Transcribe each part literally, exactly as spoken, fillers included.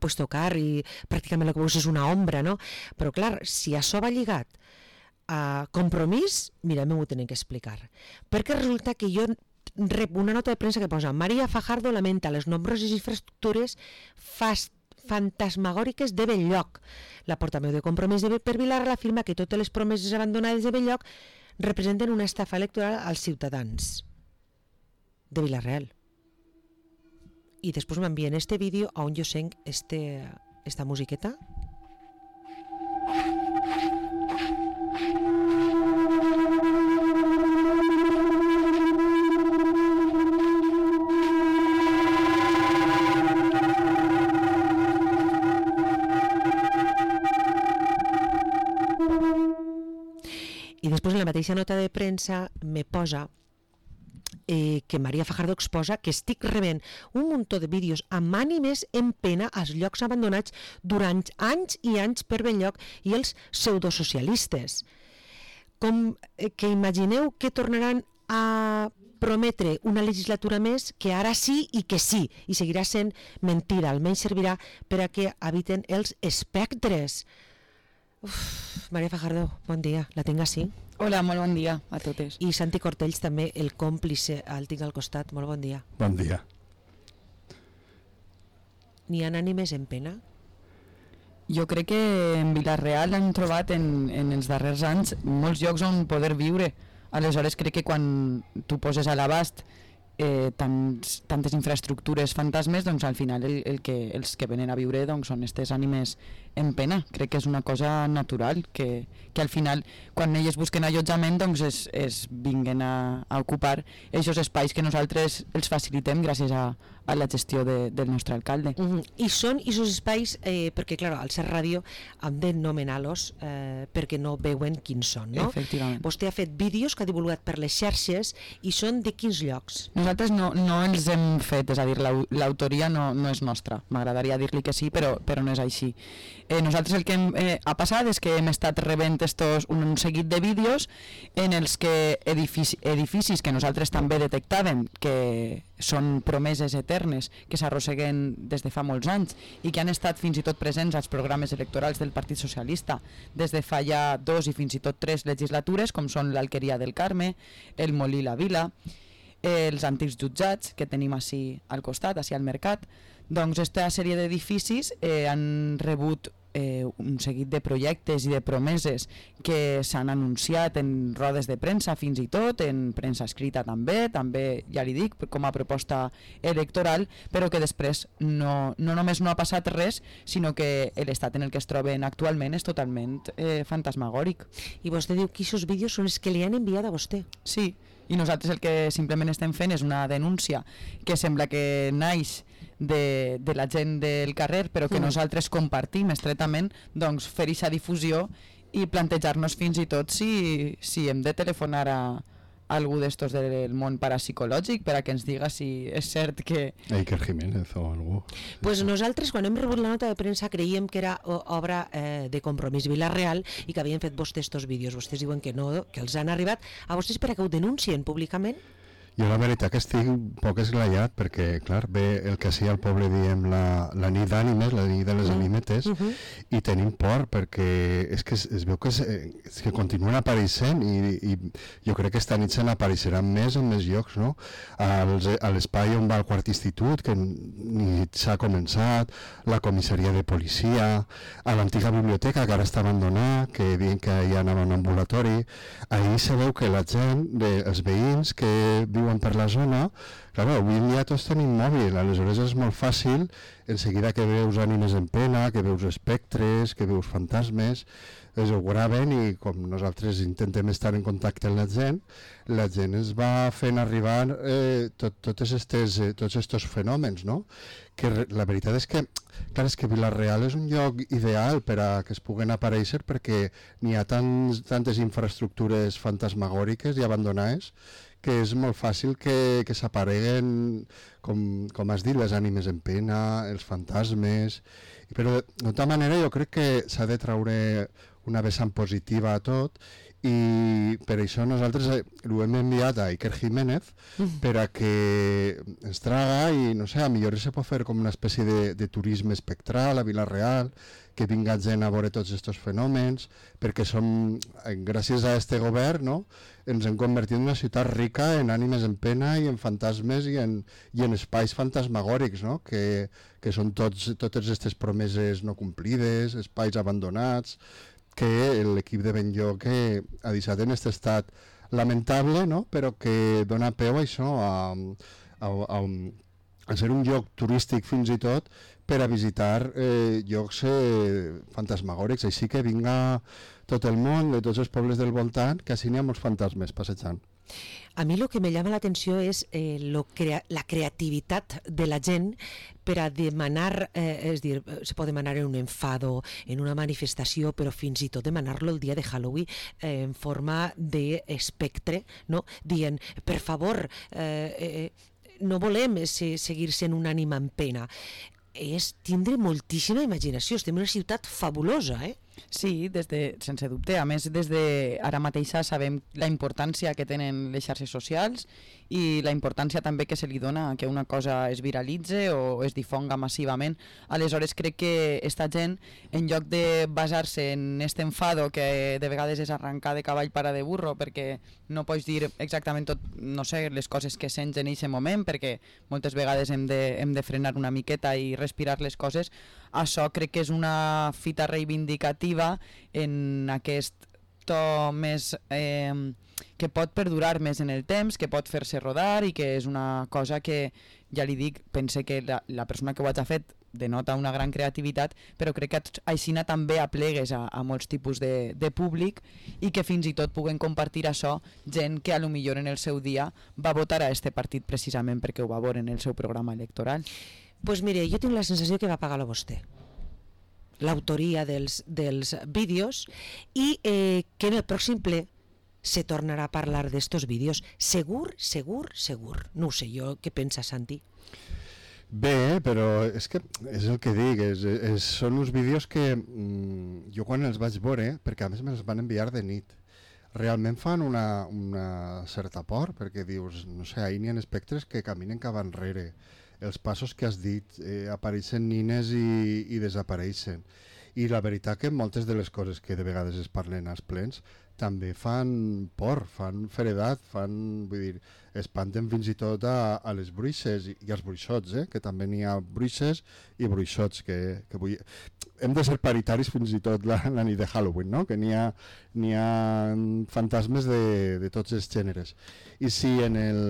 puedes tocar i pràcticament el que veus és una ombra, no? Però clar, si això va lligat a Compromís, mira, m'ho tenen que explicar. Perquè resulta que jo rep una nota de premsa que posa María Fajardo lamenta les nombroses infraestructures fast fantasmagòriques de Belllloc. La portaveu de Compromís de per Vilar afirma que totes les promeses abandonades de Belllloc representen una estafa electoral als ciutadans de Vila-real. I després m'envien este vídeo on jo sent este, esta musiqueta. I després en la mateixa nota de premsa me posa eh, que María Fajardo exposa que estic rebent un muntó de vídeos amb ànimes en pena als llocs abandonats durant anys i anys per Belllloc i els pseudosocialistes. Com eh, que imagineu que tornaran a prometre una legislatura més que ara sí i que sí, i seguirà sent mentira, almenys servirà per a que habiten els espectres. Uf, María Fajardo, bon dia, la tinc així. Hola, molt bon dia a totes. I Santi Cortells també, el còmplice, el tinc al costat, molt bon dia. Bon dia. N'hi ha ànimes en pena? Jo crec que en Vila-real han trobat en, en els darrers anys molts llocs on poder viure. Aleshores crec que quan tu poses a l'abast eh, tants, tantes infraestructures fantasmes, doncs al final el, el que, els que venen a viure doncs, són aquestes ànimes en pena. Crec que és una cosa natural, que, que al final quan elles busquen allotjament doncs es, es vinguen a, a ocupar aquests espais que nosaltres els facilitem gràcies a, a la gestió de, del nostre alcalde. Uh-huh. I són aquests espais, eh, perquè clar, al ser ràdio hem de nomenar-los eh, perquè no veuen quins són, no? Efectivament. Vostè ha fet vídeos que ha divulgat per les xarxes i són de quins llocs? Nosaltres no, no els hem fet, és a dir, l'autoria no, no és nostra. M'agradaria dir-li que sí, però, però no és així. Eh, nosaltres el que hem, eh, ha passat és que hem estat rebent estos, un, un seguit de vídeos en els que edifici, edificis que nosaltres també detectàvem que són promeses eternes que s'arrosseguen des de fa molts anys i que han estat fins i tot presents als programes electorals del Partit Socialista des de fa ja dos i fins i tot tres legislatures, com són l'Alqueria del Carme, el Molí La Vila, eh, els antics jutjats que tenim així al costat, així al mercat. Doncs aquesta sèrie d'edificis eh, han rebut eh, un seguit de projectes i de promeses que s'han anunciat en rodes de premsa fins i tot, en premsa escrita també, també ja li dic, com a proposta electoral, però que després no, no només no ha passat res, sinó que l'estat en el que es troben actualment és totalment eh, fantasmagòric. I vostè diu que aquests vídeos són els que li han enviat a vostè? Sí, i nosaltres el que simplement estem fent és una denúncia que sembla que naix de, de la gent del carrer, però que mm. nosaltres compartim estretament, doncs fer aquesta difusió i plantejar-nos fins i tot si, si hem de telefonar a, a algú d'estos del món parapsicològic per a que ens diga si és cert que... Iker Jiménez o algú. Pues nosaltres quan hem rebut la nota de premsa creiem que era obra eh, de Compromís Vila-real i que havien fet vostès estos vídeos. Vostès diuen que no, que els han arribat a vostès per a que ho denuncien públicament? Jo la veritat que estic un poc esglaiat perquè, clar, ve el que sí al poble diem la, la nit d'ànimes, la nit de les ànimetes, uh-huh. i tenim por perquè és que es, es veu que, es, és que continuen apareixent i, i jo crec que esta nit se n'apareixeran més en més llocs, no? Als, a l'espai on va el quart institut, que ni s'ha començat, la comissaria de policia, a l'antiga biblioteca que ara està abandonada, que diuen que hi anava un ambulatori, ahir se veu que la gent, de, els veïns que viuen per la zona, clar, avui en dia tots tenim mòbil, aleshores és molt fàcil en seguida que veus ànimes en pena, que veus espectres, que veus fantasmes, es ho graven i com nosaltres intentem estar en contacte amb la gent, la gent ens va fent arribar eh, tot, totes estes, eh, tots aquests fenòmens, no? Que la veritat és que, clar, és que Vila-real és un lloc ideal per a que es puguen aparèixer perquè n'hi ha tants, tantes infraestructures fantasmagòriques i abandonades que és molt fàcil que, que s'apareguen, com, com has dit, les ànimes en pena, els fantasmes, però de, de tota manera jo crec que s'ha de traure una vessant positiva a tot i per això nosaltres ho hem enviat a Iker Jiménez Mm. per a que ens traga i no sé, a millor se pot fer com una espècie de, de turisme espectral a Vila-real, que vinga gent a veure tots aquests fenòmens, perquè som, gràcies a este govern, no, ens hem convertit en una ciutat rica en ànimes en pena i en fantasmes i en, i en espais fantasmagòrics, no, que, que són tots, totes aquestes promeses no complides, espais abandonats, que l'equip de Benlloc ha deixat en aquest estat lamentable, no? Però que dona peu a això, a, a, a, a ser un lloc turístic fins i tot per a visitar eh, llocs eh, fantasmagòrics, així que vinga tot el món, de tots els pobles del voltant, que així n'hi ha molts fantasmes passejant. A mí lo que me llama la atención es eh, lo crea la creatividad de la gent per a demanar, eh, és dir, se pot demanar en un enfado, en una manifestació, però fins i tot demanar-lo el dia de Halloween eh, en forma d'espectre, no? Dient, per favor, eh, eh, no volem se seguir sent un ànima en pena. És tindre moltíssima imaginació, estem en una ciutat fabulosa, eh? Sí, des de, sense dubte. A més, des de ara mateixa sabem la importància que tenen les xarxes socials i la importància també que se li dona a que una cosa es viralitze o es difonga massivament. Aleshores crec que esta gent, en lloc de basar-se en este enfado que de vegades és arrencar de cavall para de burro, perquè no pots dir exactament tot, no sé, les coses que sents en aquest moment, perquè moltes vegades hem de, hem de frenar una miqueta i respirar les coses. Això crec que és una fita reivindicativa en aquest to més eh, que pot perdurar més en el temps, que pot fer-se rodar i que és una cosa que, ja li dic, pense que la, la persona que ho ha fet denota una gran creativitat, però crec que aixina també aplegues a, a molts tipus de, de públic i que fins i tot puguen compartir això gent que a lo millor en el seu dia va votar a este partit precisament perquè ho va veure en el seu programa electoral. Pues mire, jo tinc la sensació que va pagar-lo vostè, l'autoria dels, dels vídeos, i eh, que en el pròxim ple se tornarà a parlar d'estos vídeos. Segur, segur, segur. No ho sé jo, què pensa Santi? Bé, però és que és el que dic, és, és, són uns vídeos que mm, jo quan els vaig veure, perquè a més me'ls van enviar de nit, realment fan una, una certa por, perquè dius, no sé, ahir n'hi ha espectres que caminen cap enrere, els passos que has dit, eh, apareixen nines i, i desapareixen. I la veritat que moltes de les coses que de vegades es parlen als plens també fan por, fan feredat, fan, vull dir, espanten fins i tot a, a les bruixes i, i als bruixots, eh? Que també n'hi ha bruixes i bruixots, que, que vull... hem de ser paritaris fins i tot la, la nit de Halloween, no? Que n'hi ha, n'hi ha fantasmes de, de tots els gèneres. I si en el,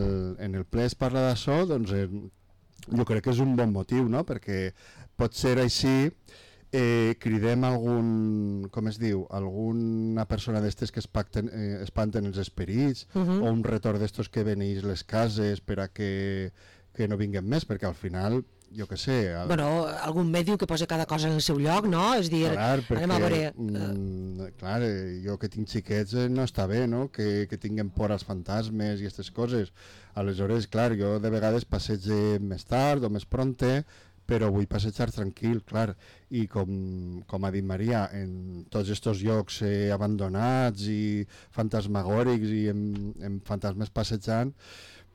en el ple es parla d'això, doncs eh, jo crec que és un bon motiu, no? Perquè pot ser així, eh, cridem algun, com es diu, alguna persona d'estes que espacten, eh, espanten els esperits, Uh-huh. o un retorn d'estos que veneix les cases per a que, que no vinguen més, perquè al final, jo què sé... El... Bueno, algun mèdium que posa cada cosa en el seu lloc, no? És dir, Clar, perquè, anem a veure... mm, clar, eh, jo que tinc xiquets eh, no està bé, no? Que, que tinguin por als fantasmes i aquestes coses. Aleshores, clar, jo de vegades passege més tard o més pronte, però vull passejar tranquil, clar. I com, com ha dit Maria, en tots aquests llocs eh, abandonats i fantasmagòrics i amb, amb fantasmes passejant,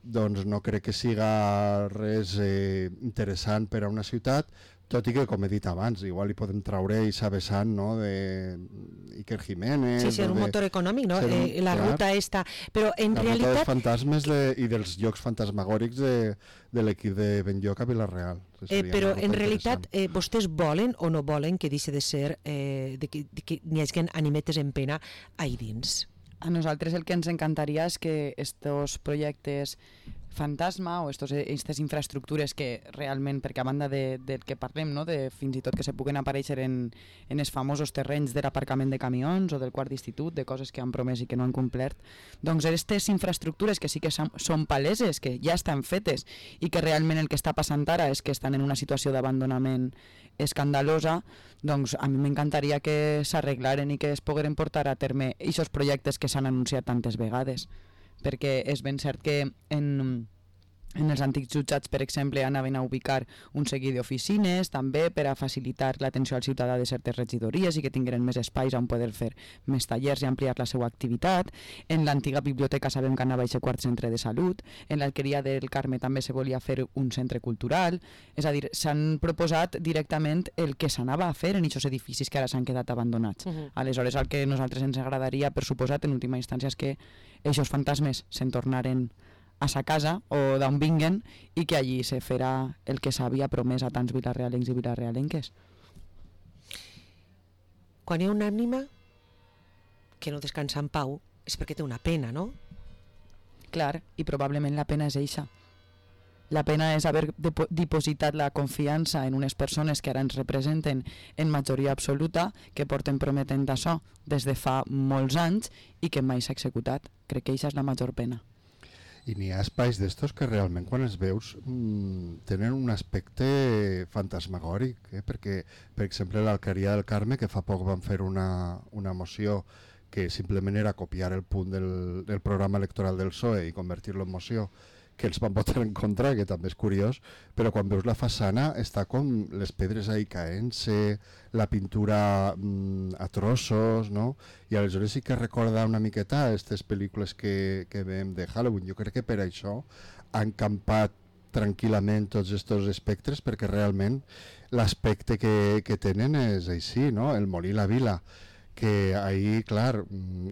doncs no crec que siga res eh, interessant per a una ciutat, tot i que, com he dit abans, igual li podem traure Eixa Vessant, no?, de Iker Jiménez... Sí, ser un de, motor econòmic, no? ser un- Eh, la clar. ruta esta... Però en la ruta dels realitat... fantasmes de, i dels llocs fantasmagòrics de, de l'equip de Benlloc a Vila-real. Eh, Seria però una en ruta realitat interessant. eh, vostès volen o no volen que deixi de ser eh, de que, de que n'hi hagi animetes en pena ahí dins. A nosaltres el que ens encantaria és que estos projectes fantasma o estos, aquestes infraestructures que realment, perquè a banda de, del que parlem, no? De fins i tot que se puguen aparèixer en, en els famosos terrenys de l'aparcament de camions o del quart d'institut, de coses que han promès i que no han complert, doncs aquestes infraestructures que sí que són, són paleses, que ja estan fetes i que realment el que està passant ara és que estan en una situació d'abandonament escandalosa, doncs a mi m'encantaria que s'arreglaren i que es pogueren portar a terme aquests projectes que s'han anunciat tantes vegades, perquè és ben cert que en, En els antics jutjats, per exemple, anaven a ubicar un seguit d'oficines, també per a facilitar l'atenció al ciutadà de certes regidories i que tingueren més espais on poder fer més tallers i ampliar la seva activitat. En l'antiga biblioteca sabem que anava a ser quart centre de salut. En l'Alqueria del Carme també se volia fer un centre cultural. És a dir, s'han proposat directament el que s'anava a fer en aquests edificis que ara s'han quedat abandonats. Uh -huh. Aleshores, el que a nosaltres ens agradaria, per suposat, en última instància, és que aquests fantasmes se'n tornaren a sa casa o d'on vinguen i que allí se farà el que s'havia promès a tants vilarrealencs i vilarrealenques. Quan hi ha una ànima que no descansa en pau és perquè té una pena, no? Clar, i probablement la pena és eixa. La pena és haver depo- dipositat la confiança en unes persones que ara ens representen en majoria absoluta, que porten prometent això des de fa molts anys i que mai s'ha executat. Crec que eixa és la major pena. I n'hi ha espais d'estos que realment quan els veus mmm, tenen un aspecte fantasmagòric, eh? Perquè, per exemple, l'Alqueria del Carme, que fa poc van fer una, una moció que simplement era copiar el punt del, del programa electoral del P S O E i convertir-lo en moció, que els van votar en contra, que també és curiós, però quan veus la façana està com les pedres ahí caent-se, la pintura mmm, a trossos, no? I aleshores sí que recorda una miqueta aquestes pel·lícules que, que veiem de Halloween. Jo crec que per això han campat tranquil·lament tots aquests espectres, perquè realment l'aspecte que, que tenen és així, no? El Molí la Vila, que ahir, clar,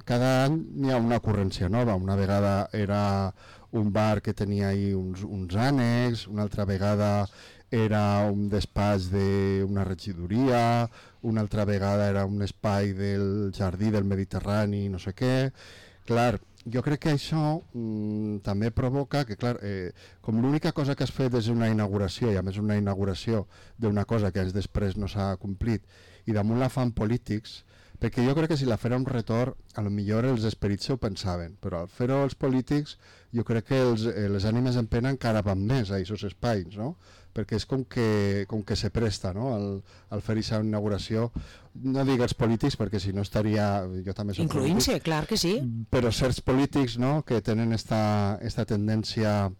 cada any hi ha una ocurrència nova. Una vegada era un bar que tenia ahí uns, uns ànecs, una altra vegada era un despatx d'una regidoria, una altra vegada era un espai del jardí del Mediterrani, no sé què. Clar, jo crec que això mm, també provoca que, clar, eh, com l'única cosa que has fet és una inauguració, i a més una inauguració d'una cosa que anys després no s'ha complit, i damunt la fan polítics, perquè jo crec que si la fera un retorn, a lo millor els esperits se ho pensaven, però al fer-ho els polítics, jo crec que els, eh, les ànimes en pena encara van més a aquests espais, no? Perquè és com que, com que se presta, no? Al, al fer aquesta inauguració, no dic els polítics, perquè si no estaria... Jo també soc incloent-se, polític, clar que sí. però certs polítics, no?, que tenen esta, esta tendència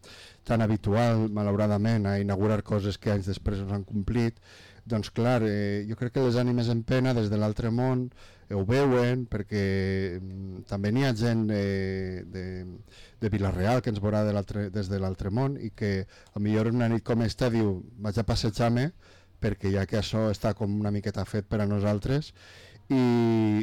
tan habitual, malauradament, a inaugurar coses que anys després no s'han complit, doncs clar, eh, jo crec que les ànimes en pena des de l'altre món eh, ho veuen, perquè mm, també n'hi ha gent eh, de, de Vila-real que ens veurà de des de l'altre món i que a millor una nit com esta diu vaig a passejar-me perquè ja que això està com una miqueta fet per a nosaltres i,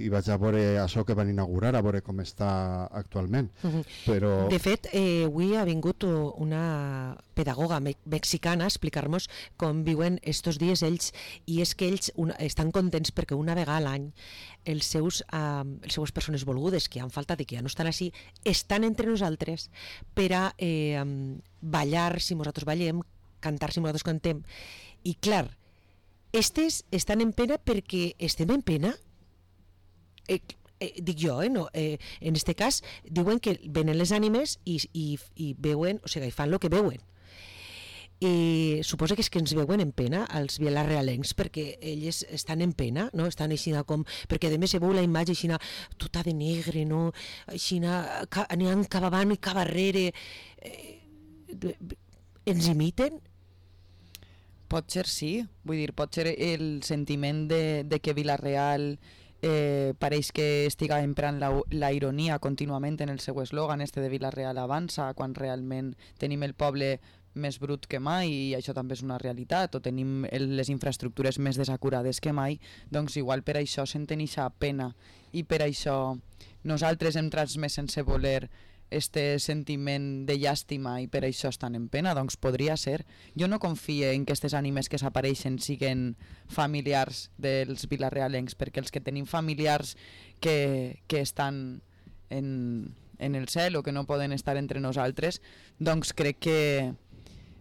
i vaig a veure això que van inaugurar, a veure com està actualment. Uh-huh. Però... De fet, eh, avui ha vingut una pedagoga me mexicana a explicar-nos com viuen estos dies ells, i és que ells una, estan contents perquè una vegada a l'any els seus, eh, les seues persones volgudes que han faltat i que ja no estan així, estan entre nosaltres per a eh, ballar si nosaltres ballem, cantar si nosaltres cantem. I clar, estes estan en pena perquè estem en pena. Eh, eh, dic jo, eh, no, eh, en este cas diuen que venen les ànimes i, i, i veuen, o sigui, fan el que veuen. I suposa que és que ens veuen en pena els vilarrealencs perquè ells estan en pena, no? Estan així com, perquè a més se veu la imatge així tota de negre, no? Així aniran cap avant i cap darrere. Eh, ens imiten? Pot ser sí, vull dir, pot ser el sentiment de, de que Vila-real eh, pareix que estiga emprant la, la ironia contínuament en el seu eslògan, este de Vila-real avança, quan realment tenim el poble més brut que mai i això també és una realitat, o tenim el, les infraestructures més desacurades que mai, doncs igual per això sentem aquesta pena i per això nosaltres hem transmès sense voler este sentiment de llàstima i per això estan en pena, doncs podria ser. Jo no confie en que aquestes ànimes que s'apareixen siguin familiars dels vilarrealencs, perquè els que tenim familiars que, que estan en, en el cel o que no poden estar entre nosaltres, doncs crec que,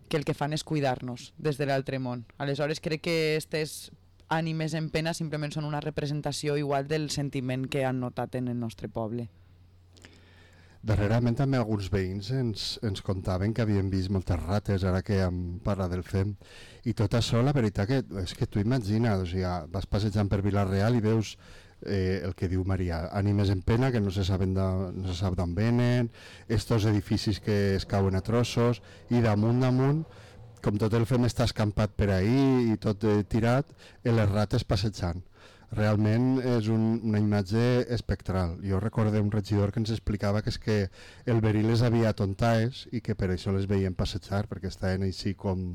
que el que fan és cuidar-nos des de l'altre món. Aleshores crec que aquestes ànimes en pena simplement són una representació igual del sentiment que han notat en el nostre poble. Darrerament també alguns veïns ens, ens contaven que havien vist moltes rates, ara que hem parlat del F E M, i tot això, la veritat que és que tu imagina't, o sigui, vas passejant per Vila-real i veus eh, el que diu Maria, ànimes en pena que no se saben de, no se sap d'on venen, estos edificis que es cauen a trossos, i damunt damunt, com tot el fem està escampat per ahí i tot eh, tirat, i les rates passejant. Realment és un, una imatge espectral. Jo recordé un regidor que ens explicava que és que el verí les havia atontaes i que per això les veien passejar, perquè estaven així com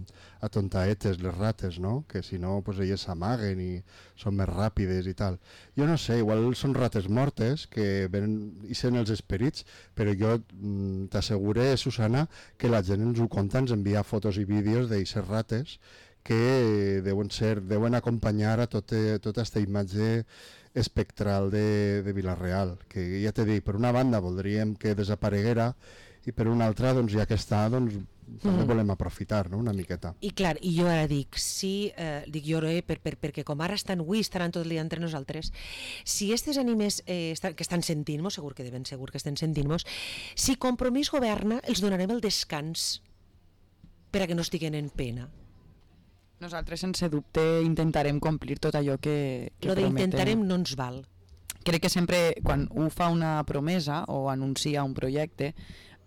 atontaetes les rates, no? Que si no, pues elles s'amaguen i són més ràpides i tal. Jo no sé, igual són rates mortes que venen i sent els esperits, però jo mm, t'assegure, Susana, que la gent ens ho conta, ens envia fotos i vídeos d'eixes rates que deuen ser, deuen acompanyar a tota aquesta imatge espectral de, de Vila-real, que ja t'he dit, per una banda voldríem que desapareguera i per una altra, doncs ja que està, doncs també mm. volem aprofitar, no?, una miqueta. I clar, i jo ara dic, si, eh, dic jo, eh, per, per, perquè com ara estan avui, estaran tot el dia entre nosaltres, si aquestes ànimes eh, estan, que estan sentint-nos, segur que de ben segur que estan sentint-nos, si Compromís governa, els donarem el descans per a que no estiguen en pena. Nosaltres, sense dubte, intentarem complir tot allò que, que Lo prometem. d'intentarem no ens val. Crec que sempre, quan un fa una promesa o anuncia un projecte,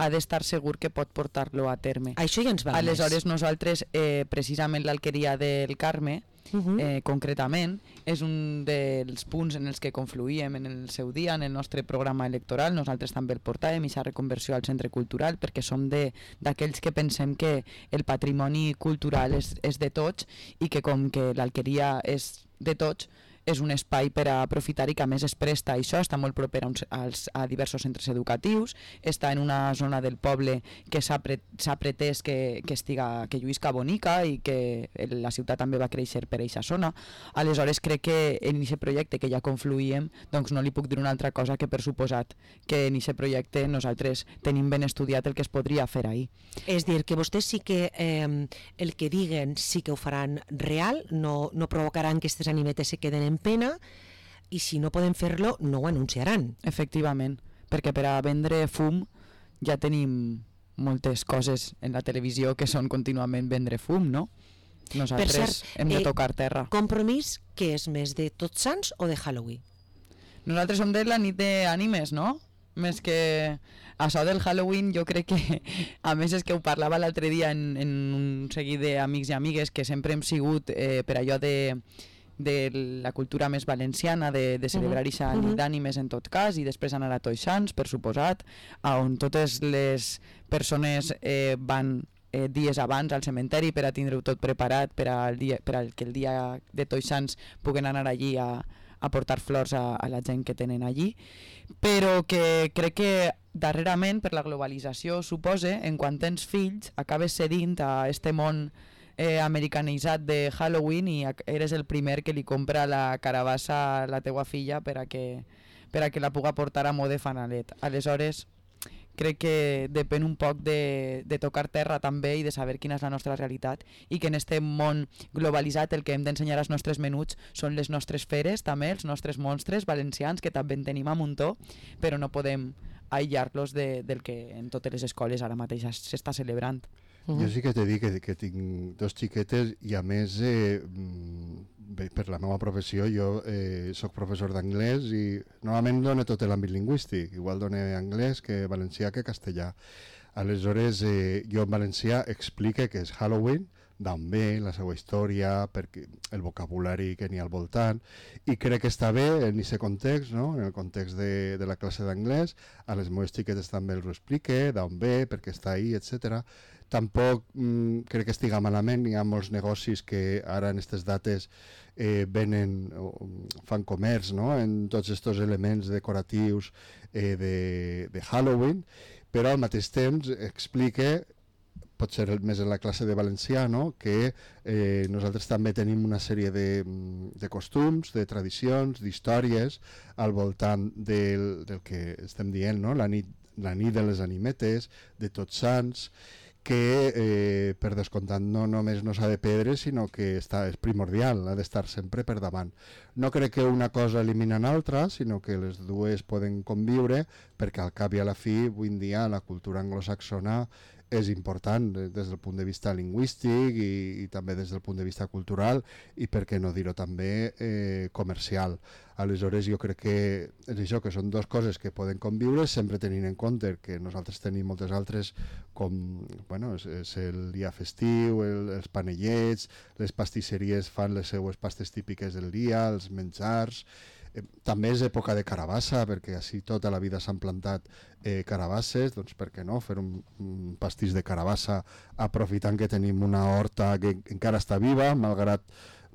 ha d'estar segur que pot portar-lo a terme. Això ja ens val Aleshores, més. nosaltres, eh, precisament l'Alqueria del Carme, Uh -huh. eh, concretament, és un dels punts en els que confluïem en el seu dia, en el nostre programa electoral. Nosaltres també el portàvem, aquesta reconversió al centre cultural, perquè som d'aquells que pensem que el patrimoni cultural és, és de tots i que com que l'Alqueria és de tots, és un espai per a aprofitar i que a més es presta a això, està molt proper a, uns, als, a diversos centres educatius, està en una zona del poble que s'ha pre, pretès que, que, estiga, que lluïsca bonica i que la ciutat també va créixer per aquesta zona. Aleshores crec que en aquest projecte que ja confluïem, doncs no li puc dir una altra cosa que per suposat que en aquest projecte nosaltres tenim ben estudiat el que es podria fer ahir. És dir, que vostès sí que eh, el que diguen sí que ho faran real, no, no provocaran que aquestes animetes se queden en pena, i si no poden fer-lo no ho anunciaran. Efectivament, perquè per a vendre fum ja tenim moltes coses en la televisió que són contínuament vendre fum, no? Nosaltres per cert, hem de eh, tocar terra. Compromís, que és més de Tots Sants o de Halloween? Nosaltres som de la nit d'ànimes, no? Més que això del Halloween, jo crec que, a més és que ho parlava l'altre dia en, en un seguit d'amics i amigues, que sempre hem sigut eh, per allò de de la cultura més valenciana, de, de celebrar aquesta uh -huh. nit d'ànimes en tot cas, i després anar a Tots Sants, per suposat, on totes les persones eh, van eh, dies abans al cementeri per a tindre-ho tot preparat, per a, el dia, per a que el dia de Tots Sants puguen anar allí a, a portar flors a, a la gent que tenen allí, però que crec que darrerament, per la globalització, supose, en quan tens fills, acabes cedint a este món Eh, americanitzat de Halloween i eres el primer que li compra la carabassa a la teua filla per a que, per a que la puga portar a mode fanalet. Aleshores, crec que depèn un poc de, de tocar terra també i de saber quina és la nostra realitat, i que en este món globalitzat el que hem d'ensenyar als nostres menuts són les nostres feres, també els nostres monstres valencians, que també en tenim a muntó, però no podem aïllar-los de, del que en totes les escoles ara mateix s'està celebrant. Uh-huh. Jo sí que t'he dit que, que tinc dos xiquetes i a més eh, bé, per la meva professió jo eh, soc professor d'anglès i normalment dono tot l'àmbit lingüístic, igual dono anglès que valencià que castellà. Aleshores eh, jo en valencià explique que és Halloween, d'on ve, la seva història, perquè el vocabulari que n'hi ha al voltant, i crec que està bé en aquest context, no? En el context de, de la classe d'anglès, a les meves xiquetes també els ho explique, d'on ve, perquè està ahí, etcètera. Tampoc mm, crec que estiga malament, hi ha molts negocis que ara en aquestes dates eh, venen, o, fan comerç, no? En tots aquests elements decoratius eh, de, de Halloween, però al mateix temps explique, pot ser més en la classe de valencià, no? Que eh, nosaltres també tenim una sèrie de, de costums, de tradicions, d'històries al voltant del, del que estem dient, no? La nit, la nit de les animetes, de Tots Sants, que eh, per descomptat no només no s'ha de perdre, sinó que està, és primordial, ha d'estar sempre per davant. No crec que una cosa elimina l'altra, sinó que les dues poden conviure, perquè al cap i a la fi, avui en dia, la cultura anglosaxona és important des del punt de vista lingüístic i, i també des del punt de vista cultural i per què no dir-ho també eh, comercial. Aleshores jo crec que és això, que són dues coses que poden conviure sempre tenint en compte que nosaltres tenim moltes altres com, bueno, és, és el dia festiu, el, els panellets, les pastisseries fan les seues pastes típiques del dia, els menjars. Eh, també és època de carabassa, perquè així tota la vida s'han plantat eh, carabasses, doncs per què no fer un, un pastís de carabassa aprofitant que tenim una horta que encara està viva, malgrat,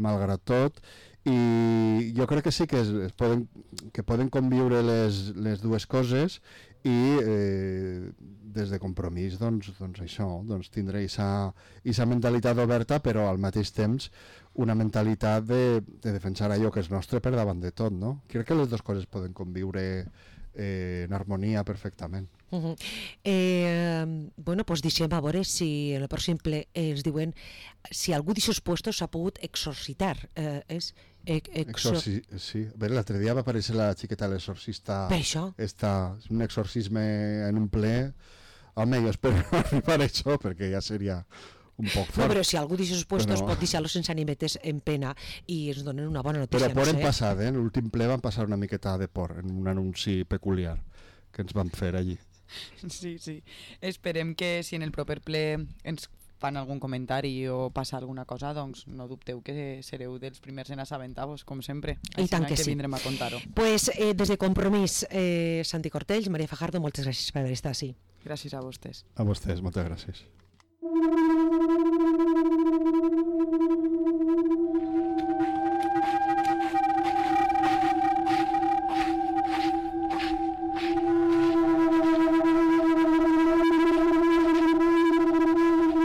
malgrat tot, i jo crec que sí que, es, es poden, que poden conviure les, les dues coses i eh, des de Compromís doncs, doncs això, doncs tindre aquesta mentalitat oberta, però al mateix temps una mentalitat de, de defensar allò que és nostre per davant de tot, no? Crec que les dues coses poden conviure eh, en harmonia perfectament. Uh -huh. eh, bueno, doncs deixem a veure si en el pròxim ple ens diuen si algú d'aixòs puestos s'ha pogut exorcitar. Eh, és, ex, exor... Exorci... Sí, l'altre dia va aparèixer la xiqueta l'exorcista. Per això? Esta, un exorcisme en un ple. Home, jo espero arribar a això, perquè ja seria un poc fort. No, però si algú d'aixòs puestos però... pot deixar-los sense animetes en pena i ens donen una bona notícia. Però por no en sé. passat, eh? En l'últim ple van passar una miqueta de por, en un anunci peculiar que ens van fer allí. Sí, sí. Esperem que si en el proper ple ens fan algun comentari o passa alguna cosa, doncs no dubteu que sereu dels primers en assabentar-vos, com sempre. I tant que, que sí. vindrem a contar-ho. Pues, eh, des de Compromís, eh, Santi Cortells, Maria Fajardo, moltes gràcies per haver estat així. Gràcies a vostès. A vostès, moltes gràcies.